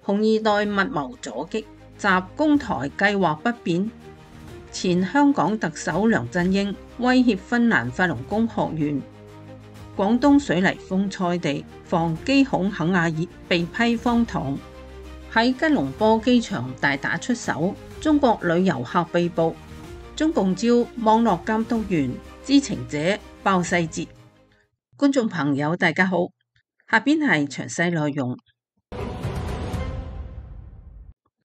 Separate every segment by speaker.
Speaker 1: 紅二代密謀阻擊，習攻台計劃不變。前香港特首梁振英威脅芬蘭法輪功學員。廣東水泥封菜地，防機恐肯亞熱被批荒唐。喺吉隆坡機場大打出手，中國女遊客被捕。中共招網絡監督員，知情者爆細節。觀眾朋友大家好，下邊係詳細內容。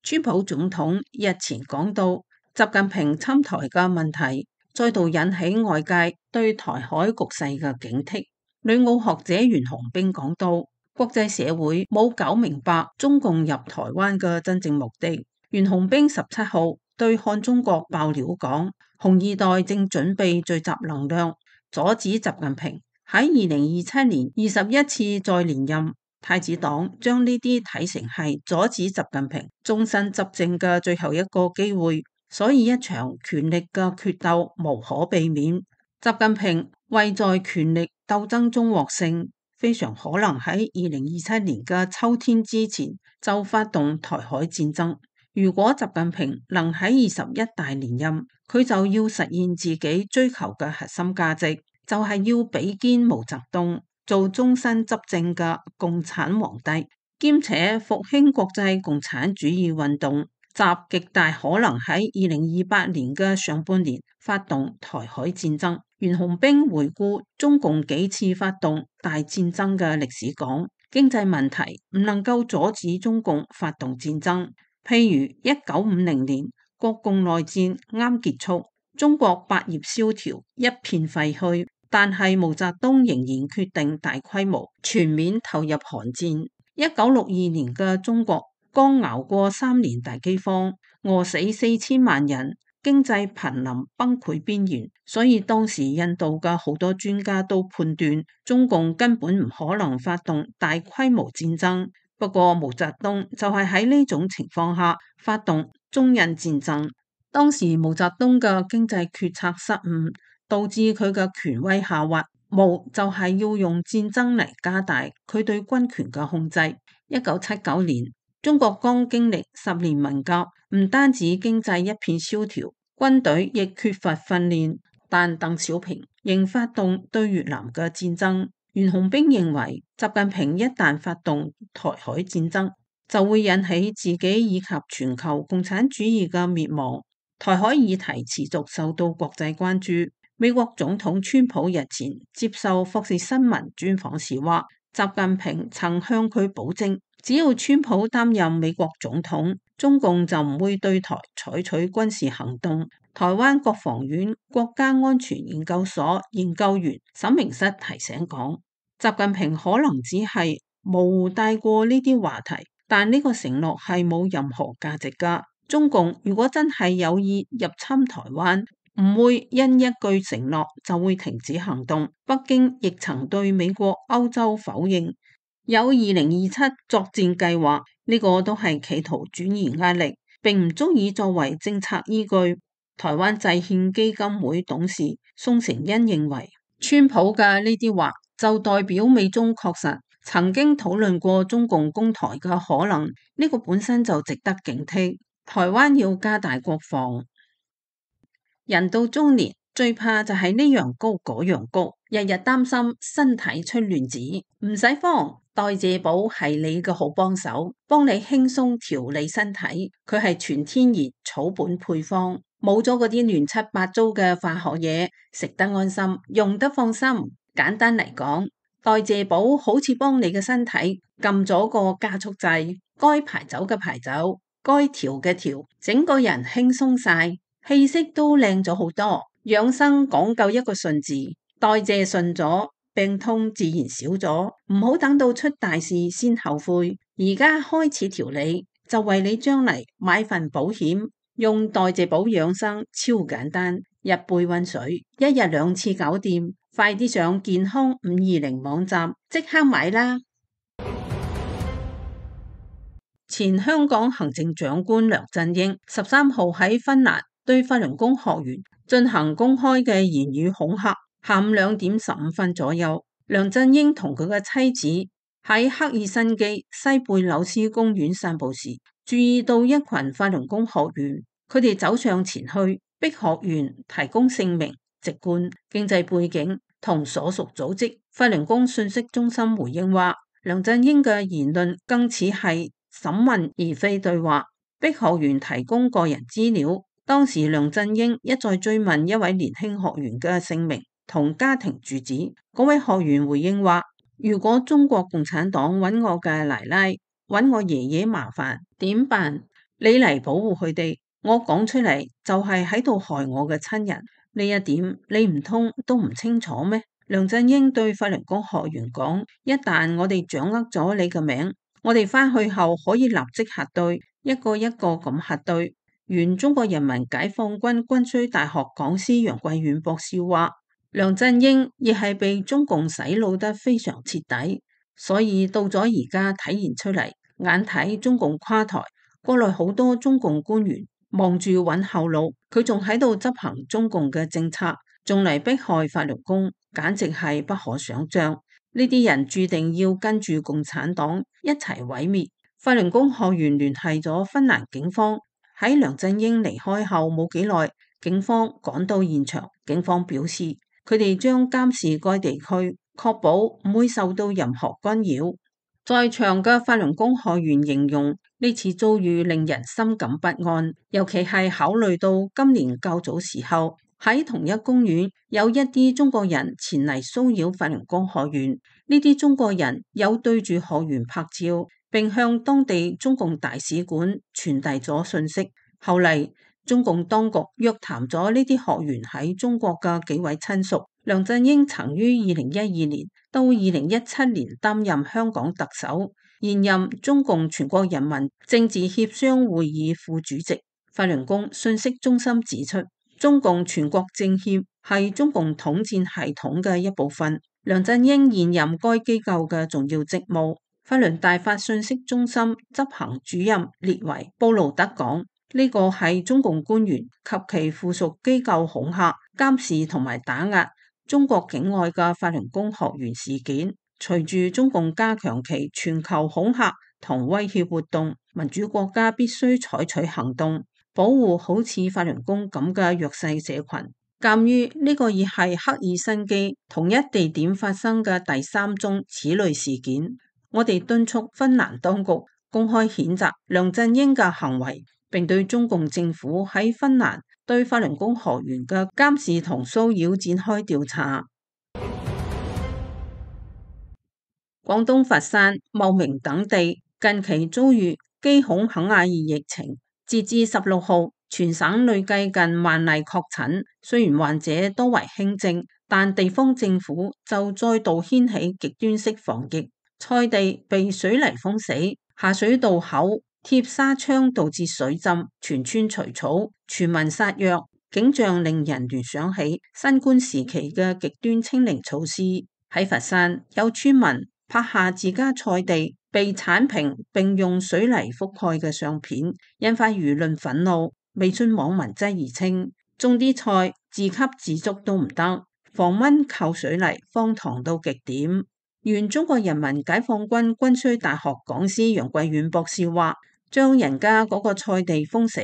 Speaker 1: 川普總統日前講到習近平侵台嘅問題，再度引起外界對台海局勢嘅警惕。旅澳學者袁洪兵講到，國際社會冇搞明白中共入台灣嘅真正目的。袁洪兵17號對漢中國爆料講，紅二代正準備聚集能量，阻止習近平喺2027年21次再連任。太子黨將呢啲睇成係阻止習近平終身執政嘅最後一個機會，所以一場權力嘅決鬥無可避免。習近平為在權力鬥爭中獲勝，非常可能喺2027年嘅秋天之前就發動台海戰爭。如果習近平能喺21大連任，佢就要實現自己追求嘅核心價值，就係要比肩毛澤東做終身執政嘅共產皇帝，兼且復興國際共產主義運動。習極大可能喺2028年嘅上半年發動台海戰爭。袁洪兵回顧中共幾次發動大戰爭嘅歷史講，經濟問題唔能夠阻止中共發動戰爭。譬如1950年國共內戰啱結束，中國百業蕭條，一片廢墟，但係毛澤東仍然決定大規模全面投入韓戰。1962年嘅中國剛熬過3年大饑荒，餓死4000萬人，經濟瀕臨崩潰邊緣，所以當時印度嘅好多專家都判斷中共根本唔可能發動大規模戰爭。不過毛澤東就係喺呢種情況下發動中印戰爭。當時毛澤東嘅經濟決策失誤，導致佢嘅權威下滑。毛就係要用戰爭嚟加大佢對軍權嘅控制。1979年中國剛經歷10年文革，唔單止經濟一片蕭條，軍隊亦缺乏訓練，但鄧小平仍發動對越南嘅戰爭。袁洪兵認為，習近平一旦發動台海戰爭，就會引起自己以及全球共產主義嘅滅亡。台海議題持續受到國際關注。美國總統川普日前接受霍士新聞專訪時話，習近平曾向佢保證，只要川普擔任美國總統，中共就唔會對台採取軍事行動。台灣國防院國家安全研究所研究員沈明室提醒講，習近平可能只係模糊帶過呢啲話題，但呢個承諾係冇任何價值㗎。中共如果真係有意入侵台灣，唔會因一句承諾就會停止行動。北京亦曾對美國、歐洲否認有2027作戰計劃，呢個都係企圖轉移壓力，並唔足以作為政策依據。台灣制憲基金會董事宋成恩認為，川普嘅呢啲話就代表美中確實曾經討論過中共攻台嘅可能，呢個本身就值得警惕。台灣要加大國防。人到中年最怕就係呢樣高嗰樣高，日日擔心身體出亂子。唔使慌，代謝寶係你嘅好幫手，幫你輕鬆調理身體。佢係全天然草本配方，冇咗嗰啲亂七八糟嘅化學嘢，食得安心，用得放心。簡單嚟講，代謝寶好似幫你嘅身體撳咗個加速掣，該排走嘅排走，該調嘅調，整個人輕鬆晒。氣色都靚咗好多，養生講究一個順字，代謝順咗，病痛自然少咗。唔好等到出大事先後悔，而家開始調理，就為你將嚟買份保險。用代謝寶養生超簡單，日背溫水，1日2次搞掂。快啲上健康520網站即刻買啦！前香港行政長官梁振英13號喺芬蘭對法輪功學員進行公開嘅言語恐嚇。下午2點15分左右，梁振英同佢嘅妻子喺赫爾辛基西貝紐斯公園散步時，注意到一群法輪功學員，佢哋走上前去，逼學員提供姓名、籍貫、經濟背景同所屬組織。法輪功信息中心回應話，梁振英嘅言論更似係審問而非對話，逼學員提供個人資料。當時梁振英一再追問一位年輕學員嘅姓名同家庭住址，嗰位學員回應話，如果中國共產黨揾我嘅奶奶、揾我爺爺麻煩，點辦？你嚟保護佢哋，我講出嚟就係喺度害我嘅親人，呢一點你唔通都唔清楚咩？梁振英對法輪功學員講，一旦我哋掌握咗你嘅名，我哋返去後可以立即核對，一個一個咁核對。原中國人民解放軍軍需大學講師楊貴遠博士話，梁振英亦係被中共洗腦得非常徹底，所以到咗而家體現出嚟，眼睇中共垮台，國內好多中共官員望住揾後路，佢仲喺度執行中共嘅政策，仲嚟迫害法輪功，簡直係不可想象。呢啲人注定要跟住共產黨一齊毀滅。法輪功學員聯繫咗芬蘭警方。喺梁振英離開後冇幾耐，警方趕到現場。警方表示，佢哋將監視該地區，確保唔會受到任何干擾。在場嘅法輪功學員形容呢次遭遇令人心感不安，尤其係考慮到今年較早時候喺同一公園有一啲中國人前嚟騷擾法輪功學員，呢啲中國人有對住學員拍照，並向當地中共大使館傳遞咗信息。後嚟，中共當局約談咗呢啲學員喺中國嘅幾位親屬。梁振英曾於2012年到2017年擔任香港特首，現任中共全國人民政治協商會議副主席。法輪功信息中心指出，中共全國政協係中共統戰系統嘅一部分。梁振英現任該機構嘅重要職務。法輪大法信息中心執行主任列維布魯德講，呢個係中共官員及其附屬機構恐嚇、監視同埋打壓中國境外嘅法輪功學員事件。隨住中共加強其全球恐嚇同威脅活動，民主國家必須採取行動，保護好似法輪功咁嘅弱勢社群。鑒於呢個已係赫爾辛基同一地點發生嘅第3宗此類事件，我哋敦促芬蘭當局公開譴責梁振英嘅行為，並對中共政府喺芬蘭對法輪功學員嘅監視同騷擾展開調查。廣東佛山、茂名等地近期遭遇基孔肯亞爾疫情，截至16號，全省累計近1萬例確診。雖然患者多為輕症，但地方政府就再度掀起極端式防疫。菜地被水泥封死，下水道口貼紗窗導致水浸，全村除草，全民殺藥，景象令人聯想起新冠時期嘅極端清零措施。喺佛山，有村民拍下自家菜地被鏟平並用水泥覆蓋嘅相片，引發輿論憤怒。微信網民質疑稱，種啲菜自給自足都唔得，防蚊靠水泥，荒唐到極點。原中國人民解放軍軍需大學講師楊貴遠博士話，將人家嗰個菜地封死，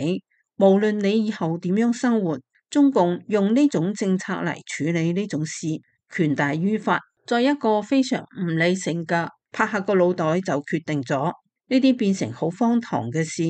Speaker 1: 無論你以後點樣生活，中共用呢種政策嚟處理呢種事，權大於法。在一個非常唔理性嘅拍下個腦袋就決定咗，呢啲變成好荒唐嘅事。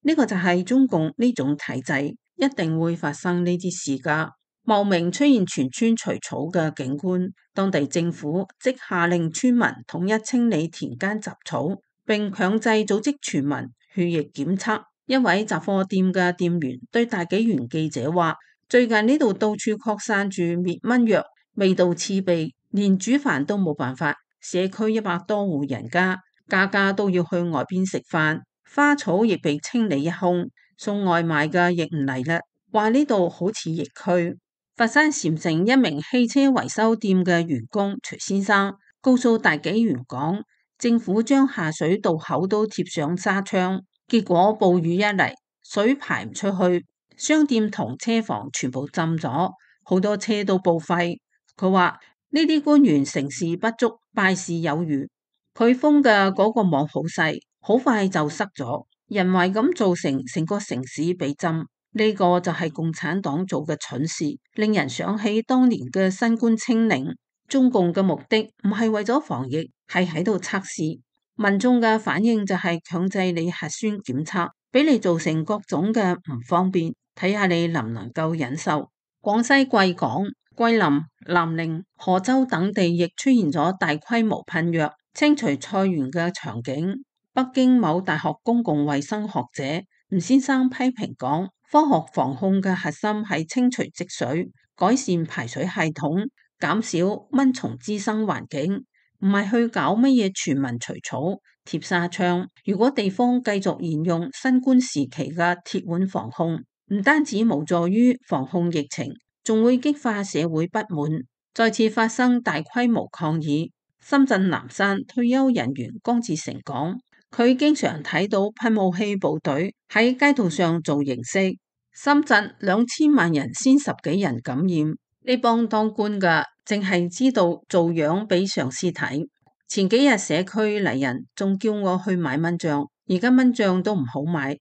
Speaker 1: 呢個就係中共呢種體制，一定會發生呢啲事噶。茂名出現全村除草嘅景觀，當地政府即下令村民統一清理田間雜草，並強制組織全民血液檢測。一位雜貨店嘅店員對大紀元記者話，最近呢度到處擴散住滅蚊藥，味道刺鼻，連煮飯都冇辦法。社區100多戶人家，家家都要去外邊食飯，花草亦被清理一空，送外賣嘅亦唔嚟啦，話呢度好似疫區。佛山禪城一名汽車維修店嘅員工徐先生告訴大紀元講，政府將下水道口都貼上紗窗，結果暴雨一嚟，水排唔出去，商店同車房全部浸咗，好多車都報廢。佢話呢啲官員成事不足，敗事有餘，佢封嘅嗰個網好細，好快就塞咗，人為咁造成個城市被浸。呢個就係共產黨做嘅蠢事，令人想起當年嘅新冠清零。中共嘅目的唔係為咗防疫，係喺度測試民眾嘅反應，就係強制你核酸檢測，俾你造成各種嘅唔方便，睇下你能唔能夠忍受。廣西貴港、桂林、南寧、河州等地亦出現咗大規模噴藥、清除菜園嘅場景。北京某大學公共衛生學者吳先生批評講，科學防控嘅核心係清除積水、改善排水系統、減少蚊蟲滋生環境，唔係去搞乜嘢全民除草、貼紗窗。如果地方繼續沿用新冠時期嘅鐵腕防控，唔單止無助於防控疫情，仲會激化社會不滿，再次發生大規模抗議。深圳南山退休人員江志成講，佢經常睇到噴霧器部隊喺街道上做形式。深圳2000萬人先10幾人感染，呢幫當官嘅淨係知道做樣俾上司睇。前幾日社區嚟人仲叫我去買蚊帳，而家蚊帳都唔好買。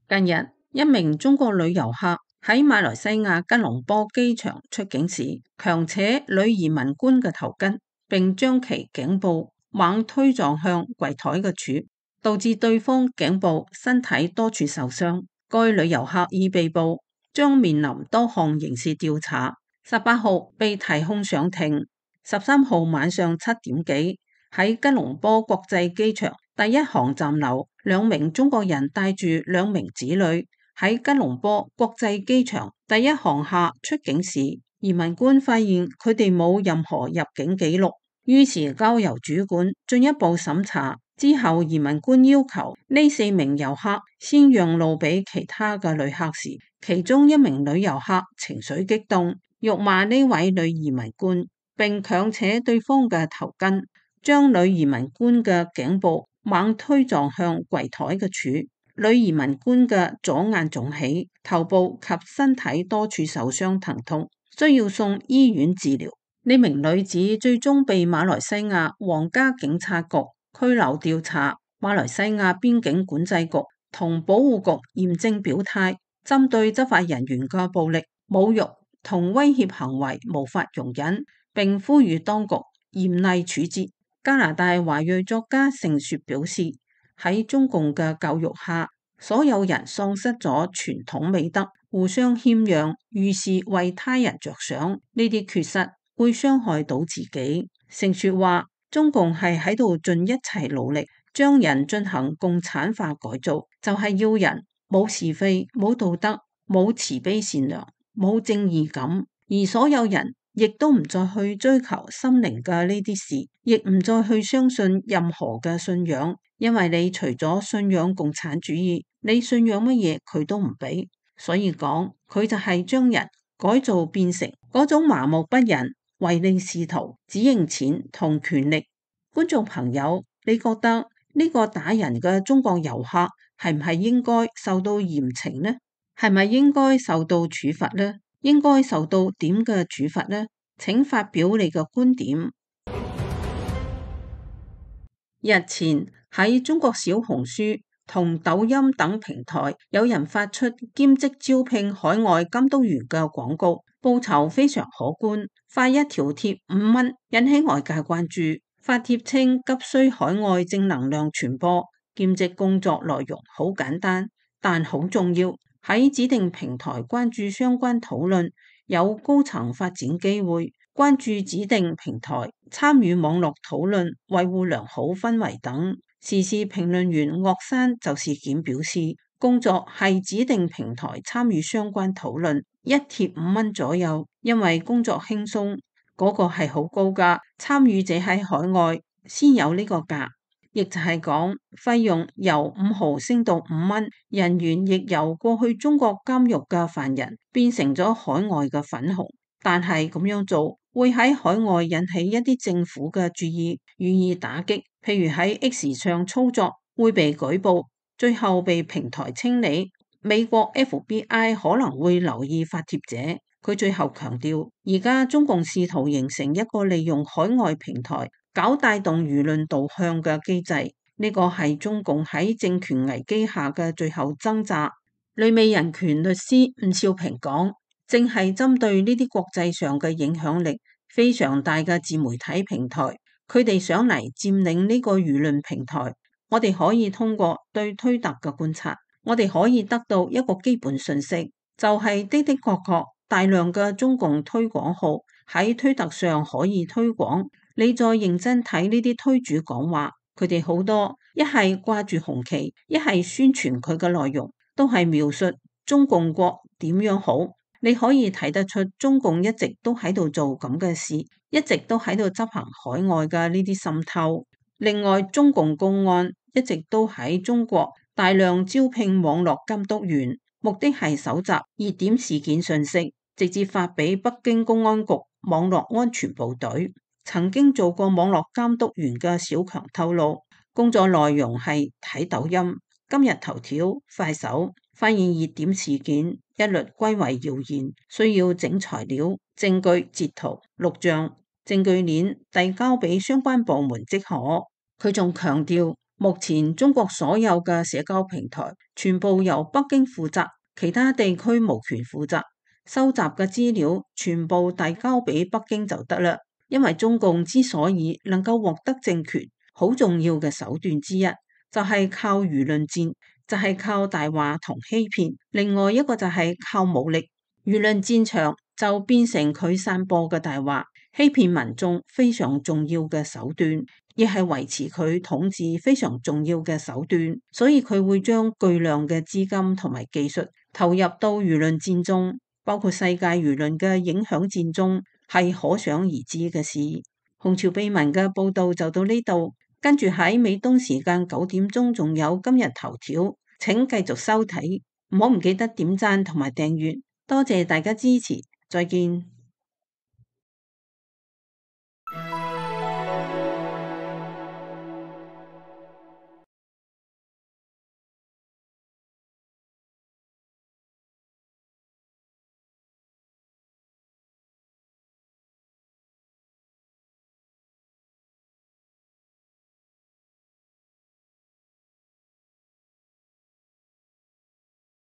Speaker 1: 近日，一名中國女遊客喺馬來西亞吉隆坡機場出境時，強扯女移民官嘅頭巾，並將其頸部猛推撞向櫃檯嘅柱，導致對方頸部、身體多處受傷。該女遊客已被捕，將面臨多項刑事調查。18號被提控上庭。13號晚上7點幾，喺吉隆坡國際機場第一航站樓，2名中國人帶住2名子女喺吉隆坡國際機場第一航廈出境時，移民官發現佢哋冇任何入境記錄，於是交由主管進一步審查。之後移民官要求呢4名遊客先讓路俾其他嘅旅客時，其中1名女遊客情緒激動，辱罵呢位女移民官，並強扯對方嘅頭巾，將女移民官嘅頸部猛推撞向櫃檯嘅柱。女移民官嘅左眼腫起，頭部及身體多處受傷疼痛，需要送醫院治療。呢名女子最終被馬來西亞皇家警察局拘留調查。馬來西亞邊境管制局同保護局嚴正表態，針對執法人員嘅暴力、侮辱同威脅行為無法容忍，並呼籲當局嚴厲處置。加拿大華裔作家盛雪表示，喺中共嘅教育下，所有人喪失咗傳統美德，互相謙讓，遇事為他人着想，呢啲缺失會傷害到自己。盛雪話，中共係喺度盡一切努力將人進行共產化改造，就係要人冇是非、冇道德、冇慈悲善良、冇正義感，而所有人亦都唔再去追求心靈嘅呢啲事，亦唔再去相信任何嘅信仰，因為你除咗信仰共產主義，你信仰乜嘢佢都唔俾。所以講，佢就係將人改造變成嗰種麻木不仁、唯利是圖、只認錢同權力。觀眾朋友，你覺得呢個打人嘅中國遊客係唔係應該受到嚴懲呢？係咪應該受到處罰呢？應該受到點嘅處罰呢？請發表你嘅觀點。日前喺中國小紅書同抖音等平台，有人發出兼職招聘海外監督員嘅廣告，報酬非常可觀，發一條貼5蚊，引起外界關注。發帖稱急需海外正能量傳播，兼職工作內容好簡單，但好重要。喺指定平台關注相關討論，有高層發展機會；關注指定平台，參與網絡討論，維護良好氛圍等。時事評論員岳山就事件表示，工作係指定平台參與相關討論，一貼5蚊左右，因為工作輕鬆，嗰個係好高㗎。參與者喺海外先有呢個價。亦就係講，費用由5毫升到5蚊，人員亦由過去中國監獄嘅犯人變成咗海外嘅粉紅。但係咁樣做會喺海外引起一啲政府嘅注意，予以打擊。譬如喺 X 上操作會被舉報，最後被平台清理。美國 FBI 可能會留意發帖者，佢最後強調，而家中共試圖形成一個利用海外平台搞帶動輿論導向嘅機制，呢個係中共喺政權危機下嘅最後掙扎。旅美人權律師伍少平講，正係針對呢啲國際上嘅影響力非常大嘅自媒體平台，佢哋想嚟佔領呢個輿論平台。我哋可以通過對推特嘅觀察，我哋可以得到一個基本信息，就係的確大量嘅中共推廣號喺推特上可以推廣。你再認真睇呢啲推主講話，佢哋好多一係掛住紅旗，一係宣傳佢嘅內容，都係描述中共國點樣好。你可以睇得出中共一直都喺度做咁嘅事，一直都喺度執行海外嘅呢啲滲透。另外，中共公安一直都喺中國大量招聘網絡監督員，目的係搜集熱點事件信息，直接發俾北京公安局網絡安全部隊。曾經做過網絡監督員嘅小強透露，工作內容係睇抖音、今日頭條、快手，發現熱點事件，一律歸為謠言，需要整材料、證據、截圖、錄像、證據鏈遞交俾相關部門即可。佢仲強調，目前中國所有嘅社交平台全部由北京負責，其他地區無權負責。收集嘅資料全部遞交俾北京就得啦。因為中共之所以能夠獲得政權，好重要嘅手段之一就係靠輿論戰，就係靠大話同欺騙。另外一個就係靠武力。輿論戰場就變成佢散播嘅大話，欺騙民眾非常重要嘅手段，亦係維持佢統治非常重要嘅手段。所以佢會將巨量嘅資金同埋技術投入到輿論戰中，包括世界輿論嘅影響戰中，係可想而知嘅事。紅潮秘聞嘅報道就到呢度，跟住喺美東時間9點仲有今日頭條，請繼續收睇，唔好唔記得點讚同埋訂閱，多謝大家支持，再見。